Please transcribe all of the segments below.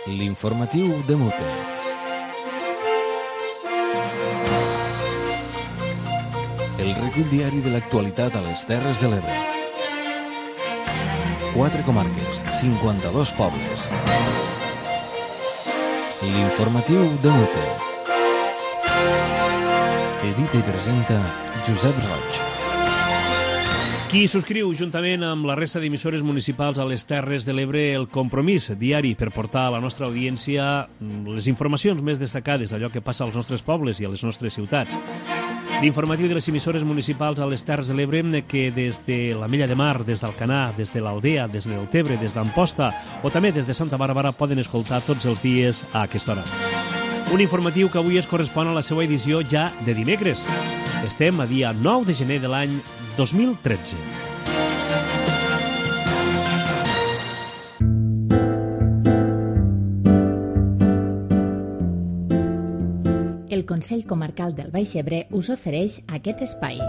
L'informatiu de Mute. El recull diari de l'actualitat a les Terres de l'Ebre. 4 comarques, 52 pobles. L'informatiu de Mute. Edita i presenta Josep Roig. Qui subscriu juntament amb la resta d'emissores municipals a les Terres de l'Ebre el Compromís diari per portar a la nostra audiència les informacions més destacades, allò que passa als nostres pobles i a les nostres ciutats. L'informatiu de les emissores municipals a les Terres de l'Ebre que des de la Mella de Mar, des d'Alcanar, des de l'Aldea, des del Tebre, des d'Amposta o també des de Santa Bàrbara poden escoltar tots els dies a aquesta hora. Un informatiu que avui es correspon a la seva edició ja de dimecres. Estem a dia 9 de gener de l'any 2013. El Consell Comarcal del Baix Ebre us ofereix aquest espai.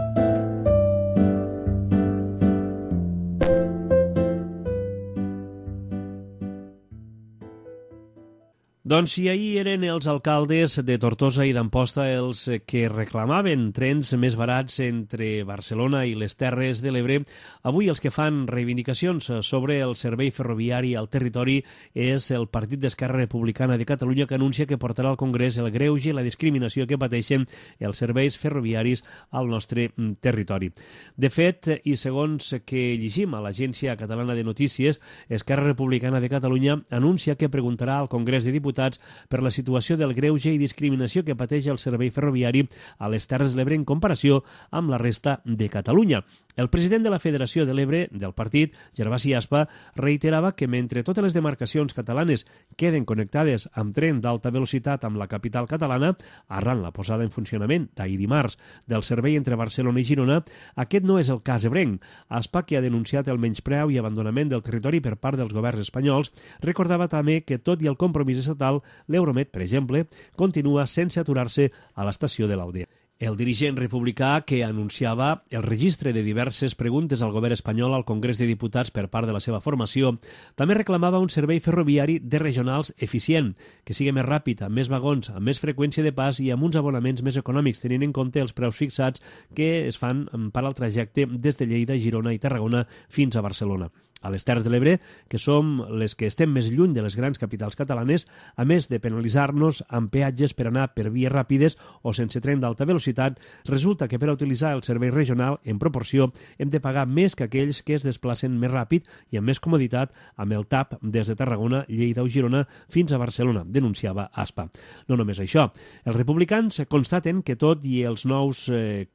Doncs si ahir eren els alcaldes de Tortosa i d'Amposta els que reclamaven trens més barats entre Barcelona i les Terres de l'Ebre, avui els que fan reivindicacions sobre el servei ferroviari al territori és el Partit d'Esquerra Republicana de Catalunya, que anuncia que portarà al Congrés el greuge i la discriminació que pateixen els serveis ferroviaris al nostre territori. De fet, i segons que llegim a l'Agència Catalana de Notícies, Esquerra Republicana de Catalunya anuncia que preguntarà al Congrés de Diputats per la situació del greuge i discriminació que pateix el servei ferroviari a les Terres de l'Ebre en comparació amb la resta de Catalunya. El president de la Federació de l'Ebre del partit, Gervasi Aspa, reiterava que mentre totes les demarcacions catalanes queden connectades amb tren d'alta velocitat amb la capital catalana, arran la posada en funcionament d'ahir dimarts del servei entre Barcelona i Girona, aquest no és el cas ebrenc. Aspa, que ha denunciat el menyspreu i abandonament del territori per part dels governs espanyols, recordava també que, tot i el compromís estatal, l'Euromed, per exemple, continua sense aturar-se a l'estació de l'Aldea. El dirigent republicà, que anunciava el registre de diverses preguntes al govern espanyol al Congrés de Diputats per part de la seva formació, també reclamava un servei ferroviari de regionals eficient, que sigui més ràpid, amb més vagons, amb més freqüència de pas i amb uns abonaments més econòmics, tenint en compte els preus fixats que es fan per al trajecte des de Lleida, Girona i Tarragona fins a Barcelona. A les Terres de l'Ebre, que som les que estem més lluny de les grans capitals catalanes, a més de penalitzar-nos amb peatges per anar per vies ràpides o sense tren d'alta velocitat, resulta que per a utilitzar el servei regional, en proporció, hem de pagar més que aquells que es desplacen més ràpid i amb més comoditat amb el TAP des de Tarragona, Lleida o Girona fins a Barcelona, denunciava Aspa. No només això, els republicans constaten que tot i els nous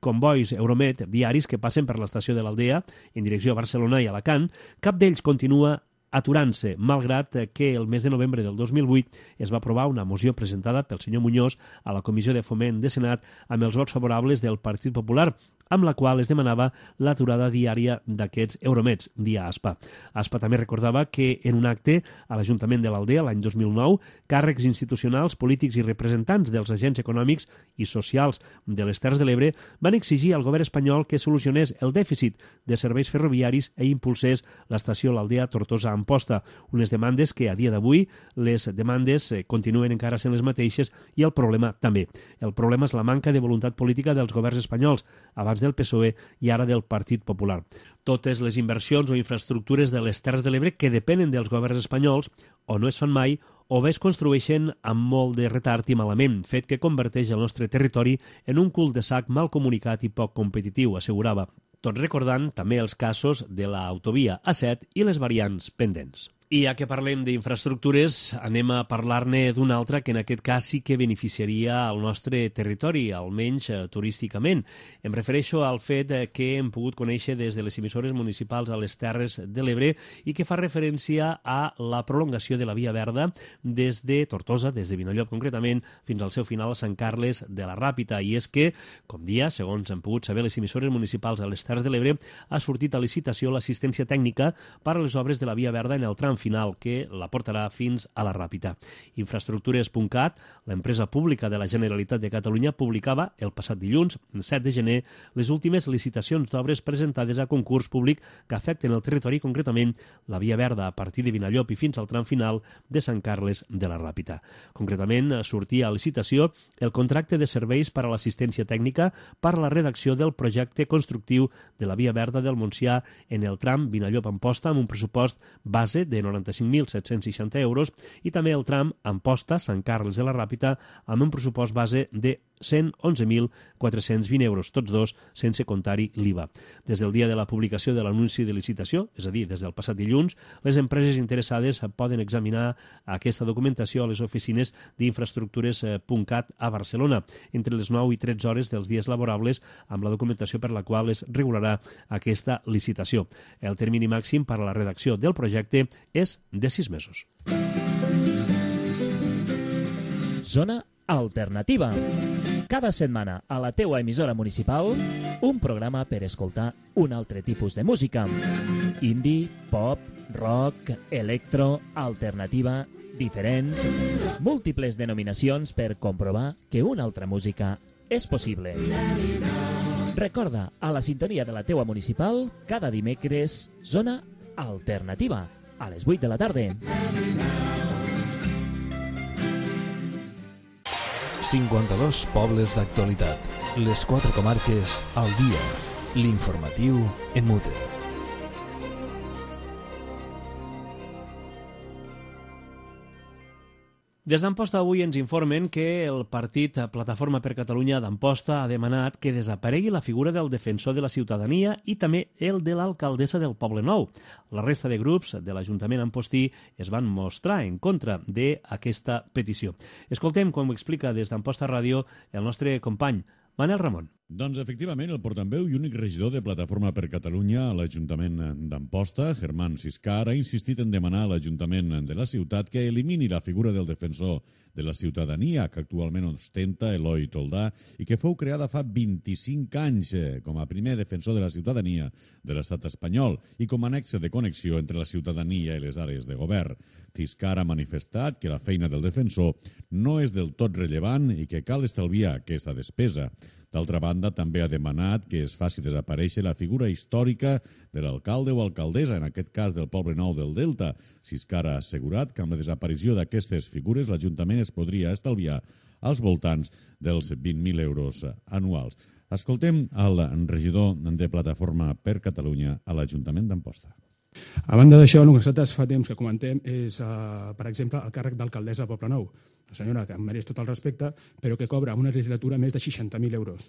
convois Euromed diaris que passen per l'estació de l'Aldea en direcció a Barcelona i Alacant, cap d'ells continua aturant-se, malgrat que el mes de novembre del 2008 es va aprovar una moció presentada pel senyor Muñoz a la Comissió de Foment de Senat amb els vots favorables del Partit Popular, amb la qual es demanava l'aturada diària d'aquests Euromeds, dia Aspa. Aspa també recordava que en un acte a l'Ajuntament de l'Aldea l'any 2009, càrrecs institucionals, polítics i representants dels agents econòmics i socials de les Terres de l'Ebre van exigir al govern espanyol que solucionés el dèficit de serveis ferroviaris i impulsés l'estació l'Aldea Tortosa-Amposta, unes demandes que a dia d'avui les demandes continuen encara sent les mateixes i el problema també. El problema és la manca de voluntat política dels governs espanyols, abans del PSOE i ara del Partit Popular. Totes les inversions o infraestructures de les Terres de l'Ebre que depenen dels governs espanyols o no es fan mai o bé es construeixen amb molt de retard i malament, fet que converteix el nostre territori en un cul de sac mal comunicat i poc competitiu, assegurava. Tot recordant també els casos de l'autovia A7 i les variants pendents. I ja que parlem d'infraestructures, anem a parlar-ne d'una altra que en aquest cas sí que beneficiaria el nostre territori, almenys turísticament. Em refereixo al fet que hem pogut conèixer des de les emissores municipals a les Terres de l'Ebre i que fa referència a la prolongació de la Via Verda des de Tortosa, des de Vinallop concretament, fins al seu final a Sant Carles de la Ràpita. I és que, com dia, segons han pogut saber les emissores municipals a les Terres de l'Ebre, ha sortit a licitació l'assistència tècnica per a les obres de la Via Verda en el tram tram final que la portarà fins a la Ràpita. Infraestructures.cat, l'empresa pública de la Generalitat de Catalunya, publicava el passat dilluns, 7 de gener, les últimes licitacions d'obres presentades a concurs públic que afecten el territori, concretament la Via Verda a partir de Vinallop i fins al tram final de Sant Carles de la Ràpita. Concretament, sortia a licitació el contracte de serveis per a l'assistència tècnica per a la redacció del projecte constructiu de la Via Verda del Montsià en el tram Vinallop-Amposta amb un pressupost base de 95.760 euros i també el tram Amposta-Sant Carles de la Ràpita amb un pressupost base de 111.420 euros, tots dos sense comptar-hi l'IVA. Des del dia de la publicació de l'anunci de licitació, és a dir, des del passat dilluns, les empreses interessades poden examinar aquesta documentació a les oficines d'infraestructures.cat a Barcelona entre les 9 i 13 hores dels dies laborables amb la documentació per la qual es regularà aquesta licitació. El termini màxim per a la redacció del projecte és de 6 mesos. Zona Alternativa. Cada setmana a la teua emissora municipal un programa per escoltar un altre tipus de música. Indie, pop, rock, electro, alternativa, diferent... Múltiples denominacions per comprovar que una altra música és possible. Recorda, a la sintonia de la teua municipal, cada dimecres, Zona Alternativa, a les 8 de la tarda. 52 pobles d'actualitat. Les 4 comarques al dia. L'informatiu en Mute. Des d'Amposta avui ens informen que el partit Plataforma per Catalunya d'Amposta ha demanat que desaparegui la figura del defensor de la ciutadania i també el de l'alcaldessa del Poblenou. La resta de grups de l'Ajuntament ampostí es van mostrar en contra d'aquesta petició. Escoltem com ho explica des d'Amposta Ràdio el nostre company Manel Ramon. Doncs efectivament, el portaveu i únic regidor de Plataforma per Catalunya a l'Ajuntament d'Amposta, Germán Siscar, ha insistit en demanar a l'Ajuntament de la ciutat que elimini la figura del defensor de la ciutadania que actualment ostenta Eloi Toldà i que fou creada fa 25 anys com a primer defensor de la ciutadania de l'estat espanyol i com a nexe de connexió entre la ciutadania i les àrees de govern. Siscar ha manifestat que la feina del defensor no és del tot rellevant i que cal estalviar aquesta despesa. D'altra banda, també ha demanat que es faci desaparèixer la figura històrica de l'alcalde o alcaldessa, en aquest cas del Poblenou del Delta. Siscar ha assegurat que amb la desaparició d'aquestes figures l'Ajuntament es podria estalviar als voltants dels 20.000 euros anuals. Escoltem el regidor de Plataforma per Catalunya a l'Ajuntament d'Amposta. A banda d'això, el que nosaltres fa temps que comentem és, per exemple, el càrrec d'alcaldessa de Poblenou. Una senyora que em mereix tot el respecte, però que cobra una legislatura més de 60.000 euros,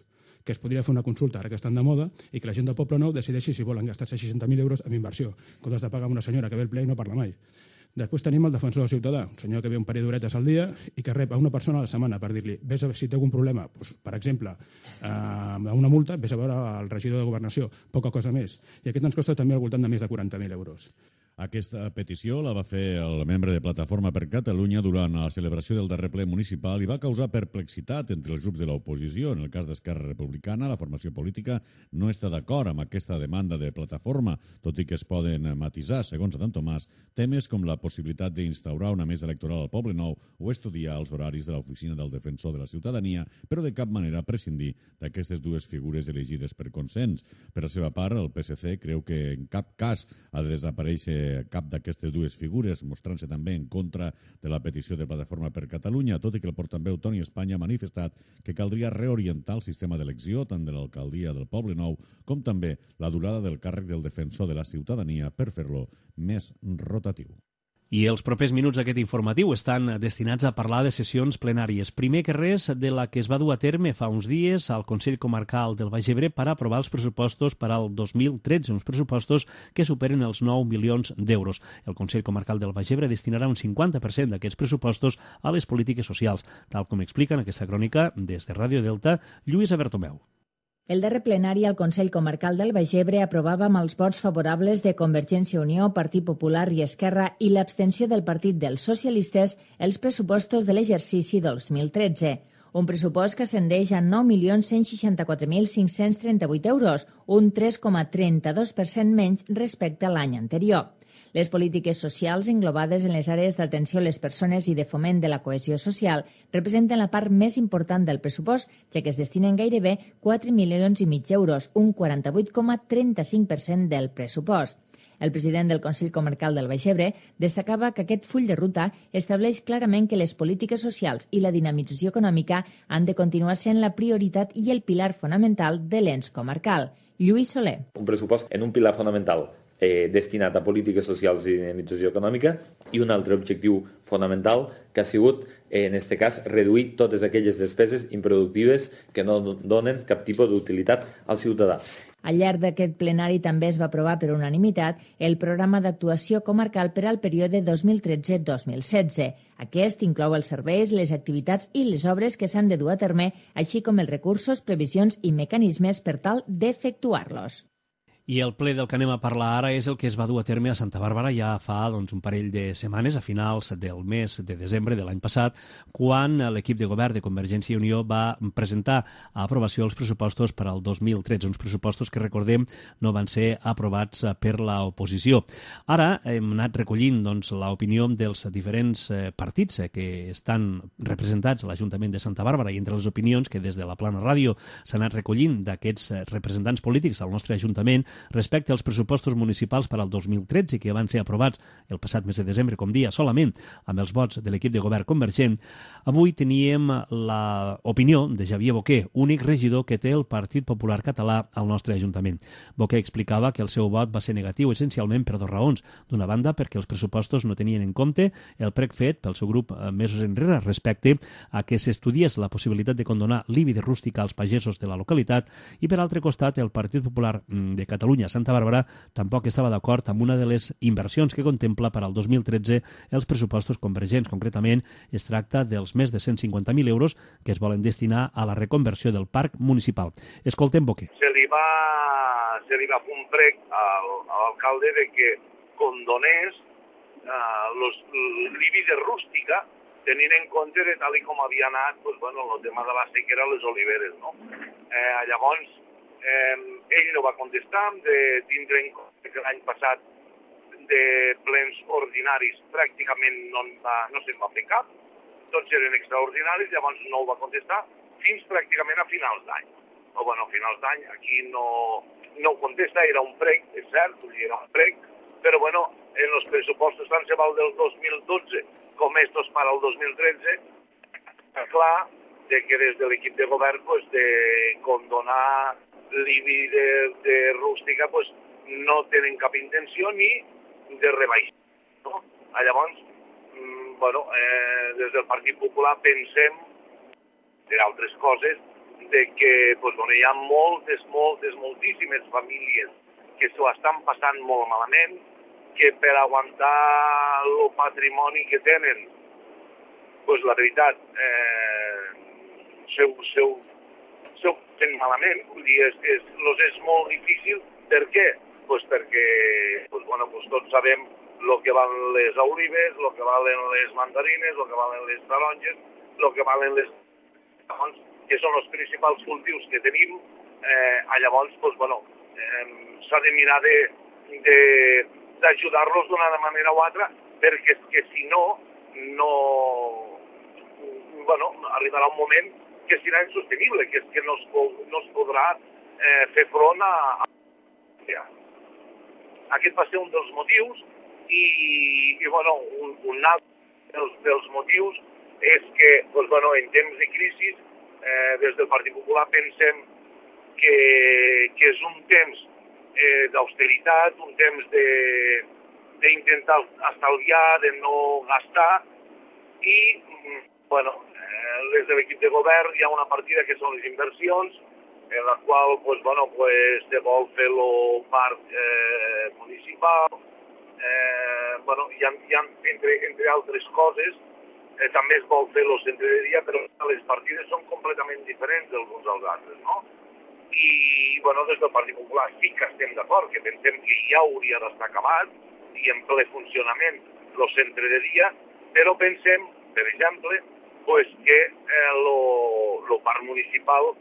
que es podria fer una consulta ara que estan de moda i que la gent del Poblenou decideixi si volen gastar-se 60.000 euros en inversió, en comptes de pagar una senyora que ve al ple i no parla mai. Després tenim el defensor del ciutadà, un senyor que ve un parell d'horetes al dia i que rep a una persona a la setmana per dir-li vés a veure si té algun problema, doncs, per exemple, amb una multa, vés a veure el regidor de Governació, poca cosa més. I aquest ens costa també al voltant de més de 40.000 euros. Aquesta petició la va fer el membre de Plataforma per Catalunya durant la celebració del darrer ple municipal i va causar perplexitat entre els grups de l'oposició. En el cas d'Esquerra Republicana, la formació política no està d'acord amb aquesta demanda de Plataforma, tot i que es poden matisar, segons Adam Tomàs, temes com la possibilitat d'instaurar una mesa electoral al Poblenou o estudiar els horaris de l'oficina del defensor de la ciutadania, però de cap manera prescindir d'aquestes dues figures elegides per consens. Per la seva part, el PSC creu que en cap cas ha de desaparèixer cap d'aquestes dues figures, mostrant-se també en contra de la petició de Plataforma per Catalunya, tot i que el portaveu Toni Espanya ha manifestat que caldria reorientar el sistema d'elecció tant de l'alcaldia del Poblenou com també la durada del càrrec del defensor de la ciutadania per fer-lo més rotatiu. I els propers minuts d'aquest informatiu estan destinats a parlar de sessions plenàries. Primer que res, de la que es va dur a terme fa uns dies al Consell Comarcal del Baix Ebre per aprovar els pressupostos per al 2013, uns pressupostos que superen els 9 milions d'euros. El Consell Comarcal del Baix Ebre destinarà un 50% d'aquests pressupostos a les polítiques socials, tal com explica en aquesta crònica des de Ràdio Delta Lluïsa Bertomeu. El darrer plenari al Consell Comarcal del Baix Ebre aprovava amb els vots favorables de Convergència i Unió, Partit Popular i Esquerra i l'abstenció del Partit dels Socialistes els pressupostos de l'exercici 2013. Un pressupost que ascendeix a 9.164.538 euros, un 3,32% menys respecte a l'any anterior. Les polítiques socials englobades en les àrees d'atenció a les persones i de foment de la cohesió social representen la part més important del pressupost, ja que es destinen gairebé 4,5 milions d'euros, un 48,35% del pressupost. El president del Consell Comarcal del Baix Ebre destacava que aquest full de ruta estableix clarament que les polítiques socials i la dinamització econòmica han de continuar sent la prioritat i el pilar fonamental de l'ens comarcal. Lluís Soler. Un pressupost en un pilar fonamental destinat a polítiques socials i dinamització econòmica i un altre objectiu fonamental que ha sigut, en aquest cas, reduir totes aquelles despeses improductives que no donen cap tipus d'utilitat al ciutadà. Al llarg d'aquest plenari també es va aprovar per unanimitat el programa d'actuació comarcal per al període 2013-2016. Aquest inclou els serveis, les activitats i les obres que s'han de dur a terme, així com els recursos, previsions i mecanismes per tal d'efectuar-los. I el ple del que anem a parlar ara és el que es va dur a terme a Santa Bàrbara ja fa un parell de setmanes, a finals del mes de desembre de l'any passat, quan l'equip de govern de Convergència i Unió va presentar a aprovació els pressupostos per al 2013, uns pressupostos que, recordem, no van ser aprovats per l'oposició. Ara hem anat recollint l'opinió dels diferents partits que estan representats a l'Ajuntament de Santa Bàrbara, i entre les opinions que des de la Plana Ràdio s'han anat recollint d'aquests representants polítics al nostre Ajuntament respecte als pressupostos municipals per al 2013, que van ser aprovats el passat mes de desembre, com dia, solament amb els vots de l'equip de govern convergent. Avui teníem l'opinió de Xavier Boquer, únic regidor que té el Partit Popular Català al nostre Ajuntament. Boquer explicava que el seu vot va ser negatiu essencialment per dues raons. D'una banda, perquè els pressupostos no tenien en compte el prec fet pel seu grup mesos enrere respecte a que s'estudiés la possibilitat de condonar l'IBI de rústica als pagesos de la localitat, i per altre costat, el Partit Popular de Catalunya Santa Bàrbara tampoc estava d'acord amb una de les inversions que contempla per al 2013 els pressupostos convergents. Concretament, es tracta dels més de 150.000 euros que es volen destinar a la reconversió del parc municipal. Escoltem Boquer. Se li va fer un prec a l'alcalde de que condonés l'IBI de rústica, tenint en compte de tal com havia anat el tema de la sequera a les oliveres. Llavors, ell no va contestar, de tindre en compte que l'any passat de plens ordinaris pràcticament no se'n va fer cap, tots eren extraordinaris, llavors no ho va contestar fins pràcticament a finals d'any. A finals d'any aquí no ho contesta, era un prec, és cert, era un prec, però en els pressupostos tant se val del 2012 com estos para el 2013, està clar que des de l'equip de govern de condonar l'IBI de rústica no tenen cap intenció ni de rebaixar. Llavors, des del Partit Popular pensem, entre altres coses, que hi ha moltíssimes famílies que s'ho estan passant molt malament, que per aguantar el patrimoni que tenen, la veritat, s'ho fent malament, és molt difícil. Per què? Perquè tots sabem el que valen les olives, el que valen les mandarines, el que valen les taronges, el que valen les... que són els principals cultius que tenim. Llavors, s'ha de mirar d'ajudar-los d'una manera o altra, perquè si no, arribarà un moment que serà insostenible, que no es podrà fer front a... Aquest va ser un dels motius i un altre dels motius és que en temps de crisi des del Partit Popular pensem que és un temps d'austeritat, un temps d'intentar estalviar, de no gastar i des de l'equip de govern hi ha una partida que són les inversions, en la qual se vol fer el parc municipal, hi ha entre altres coses, també es vol fer el centre de dia, però les partides són completament diferents dels uns als altres, no? I des del Partit Popular sí que estem d'acord, que pensem que ja hauria d'estar acabat i en ple funcionament el centre de dia, però pensem, per exemple, que el parc municipal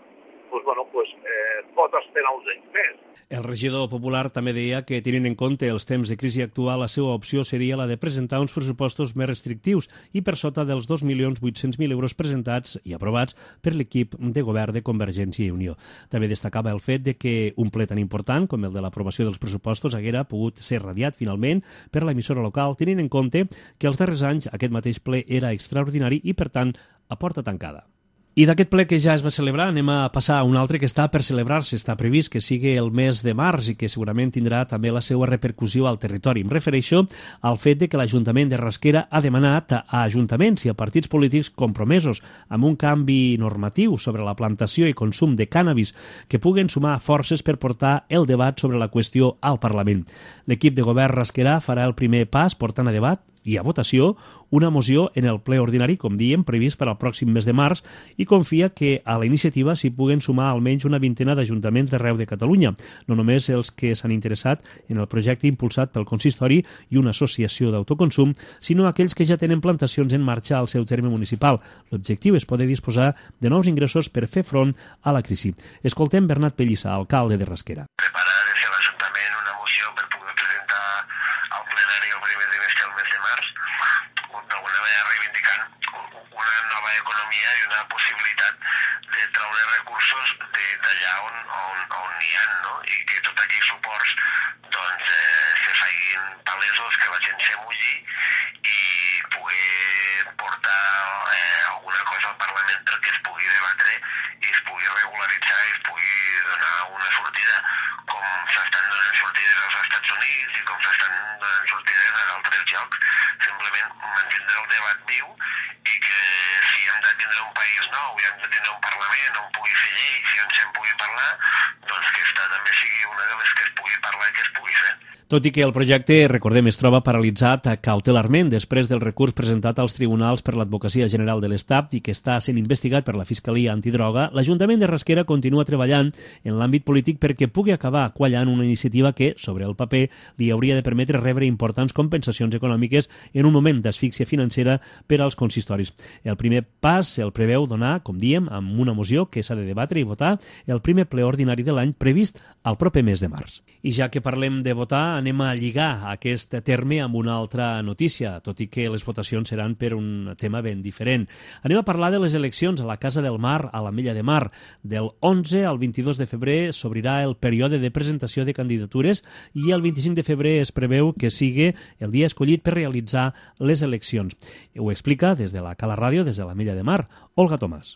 pot esperar uns anys més. El regidor popular també deia que, tenint en compte els temps de crisi actual, la seva opció seria la de presentar uns pressupostos més restrictius i per sota dels 2.800.000 euros presentats i aprovats per l'equip de govern de Convergència i Unió. També destacava el fet de que un ple tan important com el de l'aprovació dels pressupostos haguera pogut ser radiat finalment per l'emissora local, tenint en compte que els darrers anys aquest mateix ple era extraordinari i, per tant, a porta tancada. I d'aquest ple que ja es va celebrar anem a passar a un altre que està per celebrar-se. Està previst que sigui el mes de març i que segurament tindrà també la seva repercussió al territori. Em refereixo al fet de que l'Ajuntament de Rasquera ha demanat a ajuntaments i a partits polítics compromesos amb un canvi normatiu sobre la plantació i consum de cànnabis que puguen sumar forces per portar el debat sobre la qüestió al Parlament. L'equip de govern rasquerà farà el primer pas portant a debat i a votació una moció en el ple ordinari, com diem, previst per al pròxim mes de març, i confia que a la iniciativa s'hi puguen sumar almenys una vintena d'ajuntaments d'arreu de Catalunya, no només els que s'han interessat en el projecte impulsat pel consistori i una associació d'autoconsum, sinó aquells que ja tenen plantacions en marxa al seu terme municipal. L'objectiu és poder disposar de nous ingressos per fer front a la crisi. Escoltem Bernat Pellissa, alcalde de Rasquera. Preparar des de l'Ajuntament una moció per poder presentar al plenari el primer trimestre del mes de març, d'alguna manera reivindicant una nova economia i una possibilitat de treure recursos d'allà on n'hi ha, no? I que tots aquells suports se facin palesos, que la gent se mulli i poder portar alguna cosa al Parlament perquè es pugui debatre i es pugui regularitzar i es pugui donar una sortida com s'estan donant sortides als Estats Units i com s'estan donant sortides a d'altres llocs. Simplement mantindre el debat viu i que si hem de tindre un país nou i hem de tindre un Parlament on pugui fer lleis i on se'n pugui parlar, doncs que esta també sigui una de les que es pugui parlar i que es pugui fer. Tot i que el projecte, recordem, es troba paralitzat cautelarment després del recurs presentat als tribunals per l'Advocacia General de l'Estat i que està sent investigat per la Fiscalia Antidroga, l'Ajuntament de Rasquera continua treballant en l'àmbit polític perquè pugui acabar quallant una iniciativa que, sobre el paper, li hauria de permetre rebre importants compensacions econòmiques en un moment d'asfíxia financera per als consistoris. El primer pas el preveu donar, com diem, amb una moció que s'ha de debatre i votar el primer ple ordinari de l'any previst al proper mes de març. I ja que parlem de votar, anem a lligar aquest terme amb una altra notícia, tot i que les votacions seran per un tema ben diferent. Anem a parlar de les eleccions a la Casa del Mar, a l'Ametlla de Mar. Del 11 al 22 de febrer s'obrirà el període de presentació de candidatures i el 25 de febrer es preveu que sigui el dia escollit per realitzar les eleccions. Ho explica des de la Cala Ràdio, des de l'Ametlla de Mar, Olga Tomàs.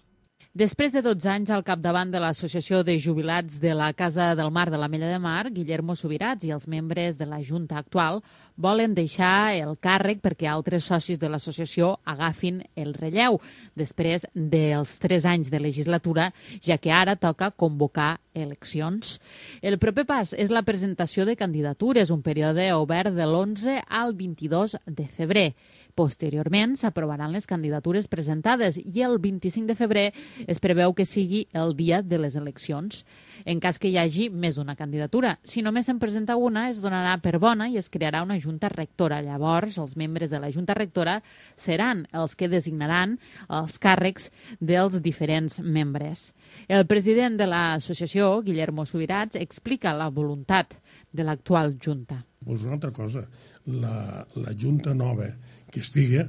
Després de 12 anys al capdavant de l'Associació de Jubilats de la Casa del Mar de l'Ametlla de Mar, Guillermo Subirats i els membres de la Junta actual volen deixar el càrrec perquè altres socis de l'associació agafin el relleu després dels 3 anys de legislatura, ja que ara toca convocar eleccions. El proper pas és la presentació de candidatures, un període obert de l'11 al 22 de febrer. Posteriorment s'aprovaran les candidatures presentades i el 25 de febrer es preveu que sigui el dia de les eleccions. En cas que hi hagi més d'una candidatura, si només se'n presenta una, es donarà per bona i es crearà una junta rectora. Llavors, els membres de la junta rectora seran els que designaran els càrrecs dels diferents membres. El president de l'associació, Guillermo Subirats, explica la voluntat de l'actual junta. Pues una altra cosa, la junta nova que estigui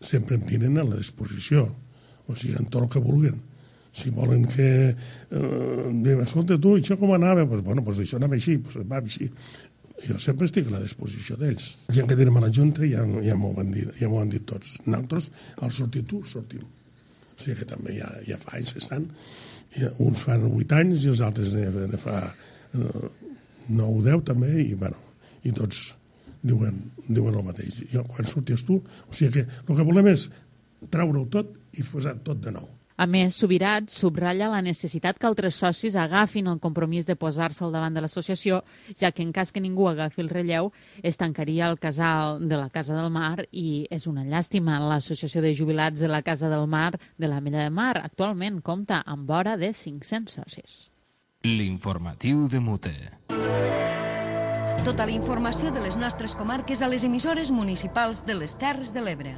sempre em tenen a la disposició, o sigui, en tot el que vulguen. Si volen que... escolta, tu, això com anava? Pues, bueno, pues això anava així, pues va així. Jo sempre estic a la disposició d'ells. La gent que tenim a la Junta ja m'ho han dit tots. Nosaltres, al sortir tu, sortim. O sigui que també ja fa anys que estan. Uns fan 8 anys i els altres ne fa 9 o 10 també, i bueno, i tots diuen el mateix. Jo, quan sorties tu, o sigui que el que volem és treure-ho tot i posar tot de nou. A més, Subirats subratlla la necessitat que altres socis agafin el compromís de posar-se al davant de l'associació, ja que en cas que ningú agafi el relleu, es tancaria el casal de la Casa del Mar i és una llàstima. L'Associació de Jubilats de la Casa del Mar de l'Ametlla de Mar actualment compta amb vora de 500 socis. L'informatiu de Mute. Tota la informació de les nostres comarques a les emissores municipals de les Terres de l'Ebre.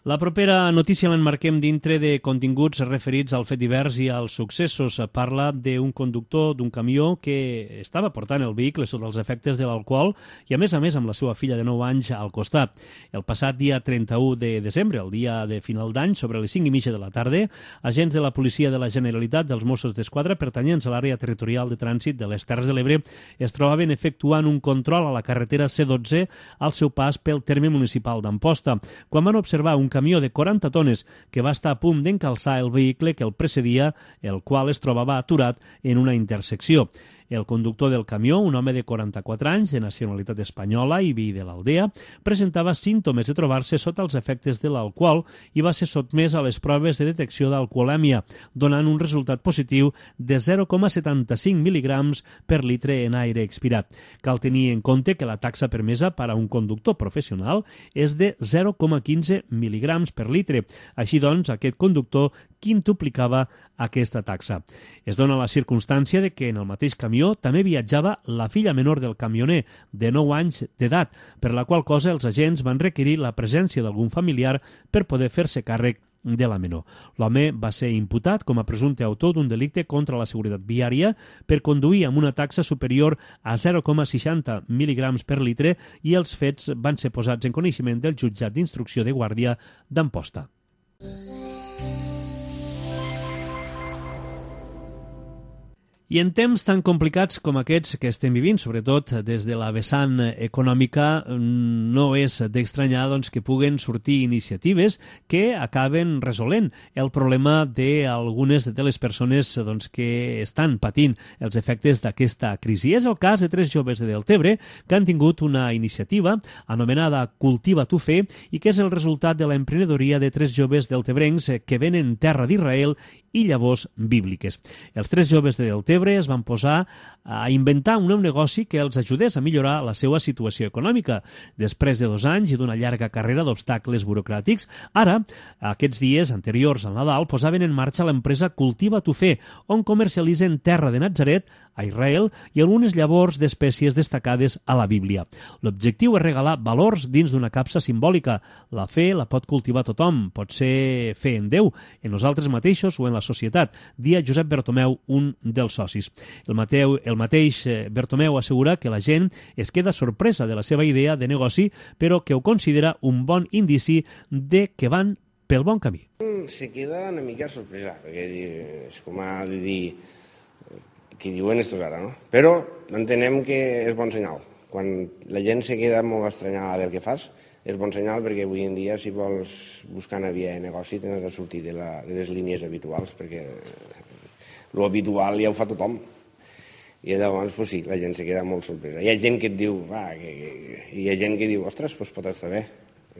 La propera notícia l'emmarquem dintre de continguts referits al fet divers i als successos. Parla d'un conductor d'un camió que estava portant el vehicle sota els efectes de l'alcohol i, a més amb la seva filla de 9 anys al costat. El passat dia 31 de desembre, el dia de final d'any, sobre les 5:30 de la tarda, agents de la Policia de la Generalitat dels Mossos d'Esquadra pertanyents a l'àrea territorial de trànsit de les Terres de l'Ebre es trobaven efectuant un control a la carretera C12 al seu pas pel terme municipal d'Amposta, quan van observar un camió de 40 tones que va estar a punt d'encalçar el vehicle que el precedia, el qual es trobava aturat en una intersecció. El conductor del camió, un home de 44 anys, de nacionalitat espanyola i veí de l'Aldea, presentava símptomes de trobar-se sota els efectes de l'alcohol i va ser sotmès a les proves de detecció d'alcoholèmia, donant un resultat positiu de 0,75 mil·ligrams per litre en aire expirat. Cal tenir en compte que la taxa permesa per a un conductor professional és de 0,15 mil·ligrams per litre. Així doncs, aquest conductor quintuplicava aquesta taxa. Es dona la circumstància de que en el mateix camió també viatjava la filla menor del camioner, de 9 anys d'edat, per la qual cosa els agents van requerir la presència d'algun familiar per poder fer-se càrrec de la menor. L'home va ser imputat com a presumpte autor d'un delicte contra la seguretat viària per conduir amb una taxa superior a 0,60 mil·ligrams per litre i els fets van ser posats en coneixement del jutjat d'instrucció de Guàrdia d'Amposta. I en temps tan complicats com aquests que estem vivint, sobretot des de la vessant econòmica, no és d'estranyar que puguen sortir iniciatives que acaben resolent el problema d'algunes de les persones que estan patint els efectes d'aquesta crisi. És el cas de 3 joves de Deltebre que han tingut una iniciativa anomenada Cultiva tu fe i que és el resultat de l'emprenedoria de 3 joves deltebrencs que venen terra d'Israel i llavors bíbliques. Els 3 joves de Deltebre es van posar a inventar un nou negoci que els ajudés a millorar la seva situació econòmica. Després de 2 anys i d'una llarga carrera d'obstacles burocràtics, ara, aquests dies anteriors al Nadal, posaven en marxa l'empresa Cultiva tu fe, on comercialitzen terra de Natzaret, a Israel, i algunes llavors d'espècies destacades a la Bíblia. L'objectiu és regalar valors dins d'una capsa simbòlica. La fe la pot cultivar tothom, pot ser fe en Déu, en nosaltres mateixos o en la societat, dia Josep Bertomeu, un dels socis. El mateix Bertomeu assegura que la gent es queda sorpresa de la seva idea de negoci, però que ho considera un bon indici de que van pel bon camí. Se queda una mica sorpresa, perquè és com a dir que diuen estos ara, no? Però entenem que és bon senyal. Quan la gent se queda molt estranyada del que fas, és bon senyal perquè avui en dia si vols buscar una via de negoci tens de sortir de les línies habituals, perquè lo habitual ja ho fa tothom. I llavors, pues sí, la gent se queda molt sorpresa. Hi ha gent que et diu, hi ha gent que diu, ostres, pues pot estar bé.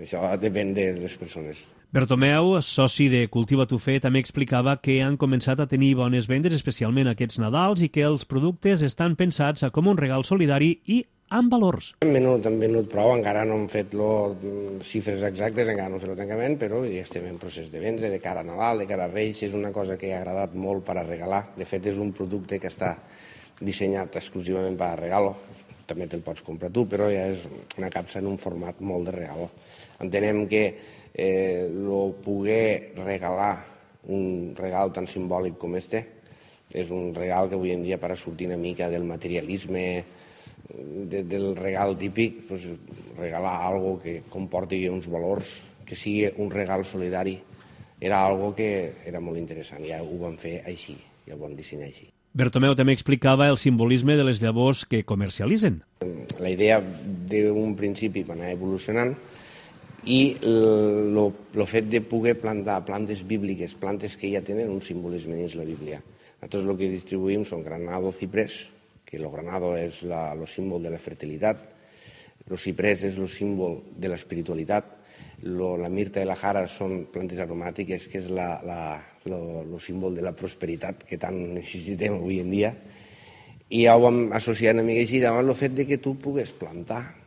Això depèn de les persones. Bertomeu, soci de Cultiva tu fe, també explicava que han començat a tenir bones vendes, especialment aquests Nadals, i que els productes estan pensats com un regal solidari i amb valors. Han venut prou, encara no hem fet xifres exactes, encara no hem fet el tancament, però ja estem en procés de vendre, de cara a Nadal, de cara a Reis, és una cosa que ha agradat molt per a regalar. De fet, és un producte que està dissenyat exclusivament per a regalo. També te'l pots comprar tu, però ja és una capsa en un format molt de regalo. Entenem que poder regalar un regal tan simbòlic com este és un regal que avui en dia, per a sortir una mica del materialisme, del regal típic, regalar algo que comporti uns valors, que sigui un regal solidari, era algo que era molt interessant. Ja ho vam fer així, ja ho vam dissenyar així. Bertomeu també explicava el simbolisme de les llavors que comercialitzen. La idea d'un principi va anar evolucionant i el fet de poder plantar plantes bíbliques, plantes que ja tenen un simbolisme dins la Bíblia. Nosaltres el que distribuïm són granado, ciprés, que el granado és el símbol de la fertilitat, el ciprés és el símbol de l'espiritualitat, la mirta i la jara són plantes aromàtiques, que és el símbol de la prosperitat que tant necessitem avui en dia. I ja ho vam associar una mica així, davant el fet que tu pugues plantar,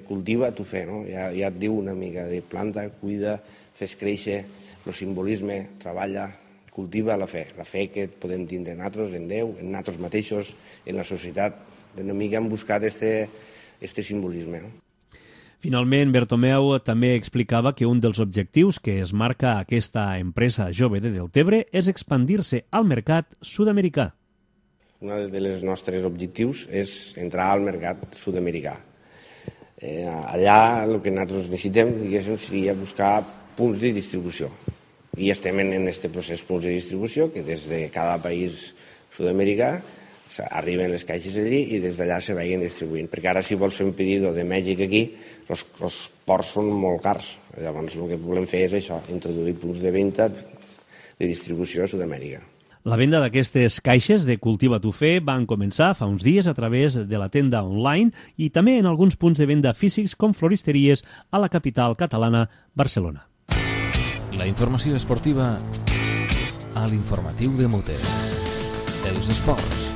cultiva tu fe, no? Ja et diu una mica de planta, cuida, fes créixer, el simbolisme, treballa, cultiva la fe que podem tindre nosaltres, en Déu, en nosaltres mateixos, en la societat. Una mica hem buscat este simbolisme. Finalment, Bertomeu també explicava que un dels objectius que es marca aquesta empresa jove de Deltebre és expandir-se al mercat sud-americà. Un dels nostres objectius és entrar al mercat sud-americà. Allà el que nosaltres necessitem, diguéssim, seria buscar punts de distribució. I estem en aquest procés punts de distribució que des de cada país sud-americà arriben les caixes allí i des d'allà se vagin distribuint. Perquè ara si vols fer un pedido de Mèxic aquí, els ports són molt cars. Llavors el que volem fer és això, introduir punts de venda de distribució a Sud-amèrica. La venda d'aquestes caixes de Cultiva tu Fe van començar fa uns dies a través de la tenda online i també en alguns punts de venda físics com floristeries a la capital catalana, Barcelona. La informació esportiva a l'informatiu de Mute. Els esports.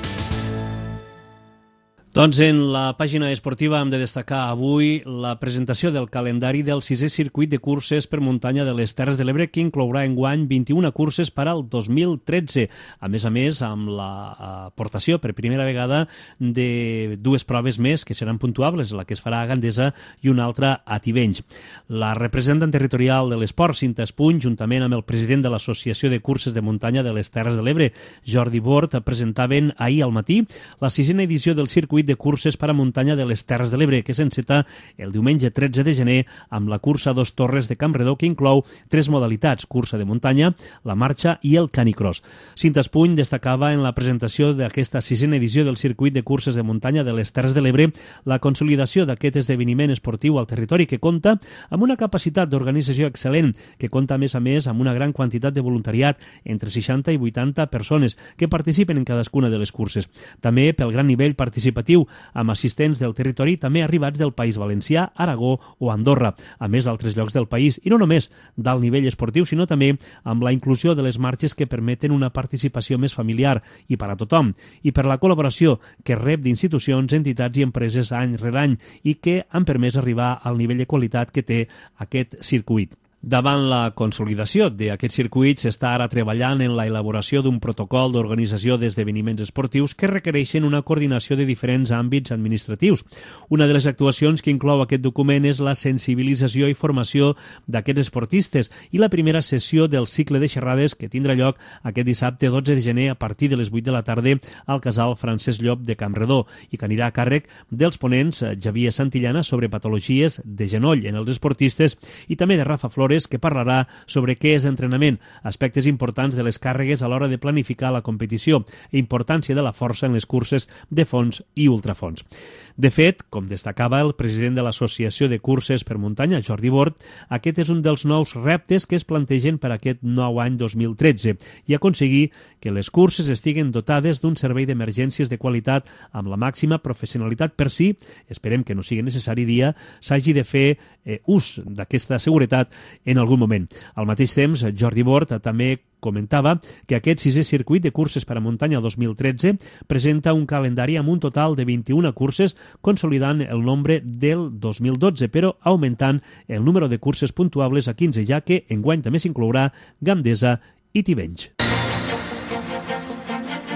Doncs en la pàgina esportiva hem de destacar avui la presentació del calendari del 6è circuit de curses per muntanya de les Terres de l'Ebre, que inclourà enguany 21 curses per al 2013. A més, amb l'aportació per primera vegada de dues proves més que seran puntuables, la que es farà a Gandesa i una altra a Tivenys. La representant territorial de l'esport, Cinta Espuny, juntament amb el president de l'Associació de Curses de Muntanya de les Terres de l'Ebre, Jordi Bort, presentaven ahir al matí la 6a edició del circuit de curses per a muntanya de les Terres de l'Ebre, que s'enceta el diumenge 13 de gener amb la cursa Dos Torres de Campredó, que inclou 3 modalitats, cursa de muntanya, la marxa i el canicross. Cinta Espuny destacava en la presentació d'aquesta 6a edició del circuit de curses de muntanya de les Terres de l'Ebre la consolidació d'aquest esdeveniment esportiu al territori, que compta amb una capacitat d'organització excel·lent, que compta a més amb una gran quantitat de voluntariat, entre 60 i 80 persones que participen en cadascuna de les curses. També pel gran nivell participatiu amb assistents del territori també arribats del País Valencià, Aragó o Andorra, a més d'altres llocs del país, i no només d'alt nivell esportiu, sinó també amb la inclusió de les marxes que permeten una participació més familiar i per a tothom, i per la col·laboració que rep d'institucions, entitats i empreses any rere any i que han permès arribar al nivell de qualitat que té aquest circuit. Davant la consolidació d'aquest circuit s'està ara treballant en la elaboració d'un protocol d'organització d'esdeveniments esportius que requereixen una coordinació de diferents àmbits administratius. Una de les actuacions que inclou aquest document és la sensibilització i formació d'aquests esportistes i la primera sessió del cicle de xerrades que tindrà lloc aquest dissabte 12 de gener a partir de les 8 de la tarda al casal Francesc Llop de Campredó i que anirà a càrrec dels ponents Javier Santillana sobre patologies de genoll en els esportistes i també de Rafa Flores, que parlarà sobre què és entrenament, aspectes importants de les càrregues a l'hora de planificar la competició i importància de la força en les curses de fons i ultrafons. De fet, com destacava el president de l'Associació de Curses per Muntanya, Jordi Bort, aquest és un dels nous reptes que es plantegen per aquest nou any 2013 i aconseguir que les curses estiguen dotades d'un servei d'emergències de qualitat amb la màxima professionalitat per si, esperem que no sigui necessari dia, s'hagi de fer ús d'aquesta seguretat en algun moment. Al mateix temps, Jordi Bort també comentava que aquest 6è circuit de curses per a muntanya 2013 presenta un calendari amb un total de 21 curses, consolidant el nombre del 2012, però augmentant el número de curses puntuables a 15, ja que enguany també s'inclourà Gandesa i Tivenys.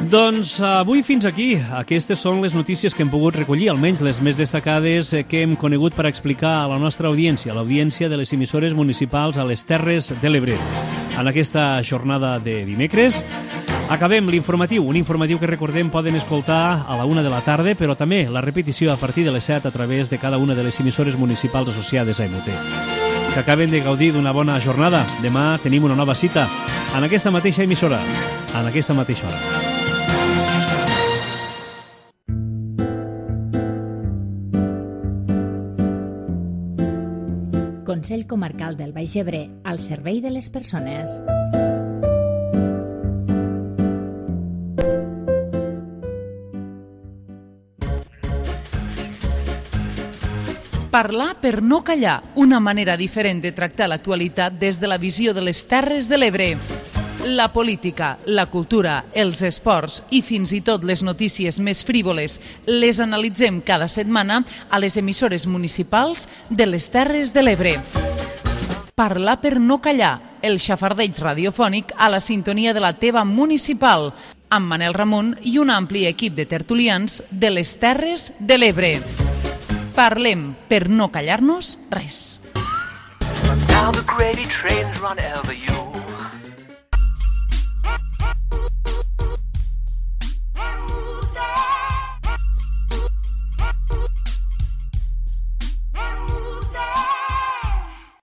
Doncs avui fins aquí. Aquestes són les notícies que hem pogut recollir, almenys les més destacades que hem conegut per explicar a la nostra audiència, l'audiència de les emissores municipals a les Terres de l'Ebre. En aquesta jornada de dimecres acabem l'informatiu, un informatiu que recordem poden escoltar a la 1 de la tarda, però també la repetició a partir de les 7 a través de cada una de les emissores municipals associades a MUT. Que acaben de gaudir d'una bona jornada. Demà tenim una nova cita en aquesta mateixa emissora, en aquesta mateixa hora. Consell Comarcal del Baix Ebre, al servei de les persones. Parlar per no callar, una manera diferent de tractar l'actualitat des de la visió de les Terres de l'Ebre. La política, la cultura, els esports i fins i tot les notícies més frívoles les analitzem cada setmana a les emissores municipals de les Terres de l'Ebre. Parlar per no callar, el xafardeig radiofònic a la sintonia de la teva municipal, amb Manel Ramon i un ampli equip de tertulians de les Terres de l'Ebre. Parlem per no callar-nos res. Now the gravy trains run over you.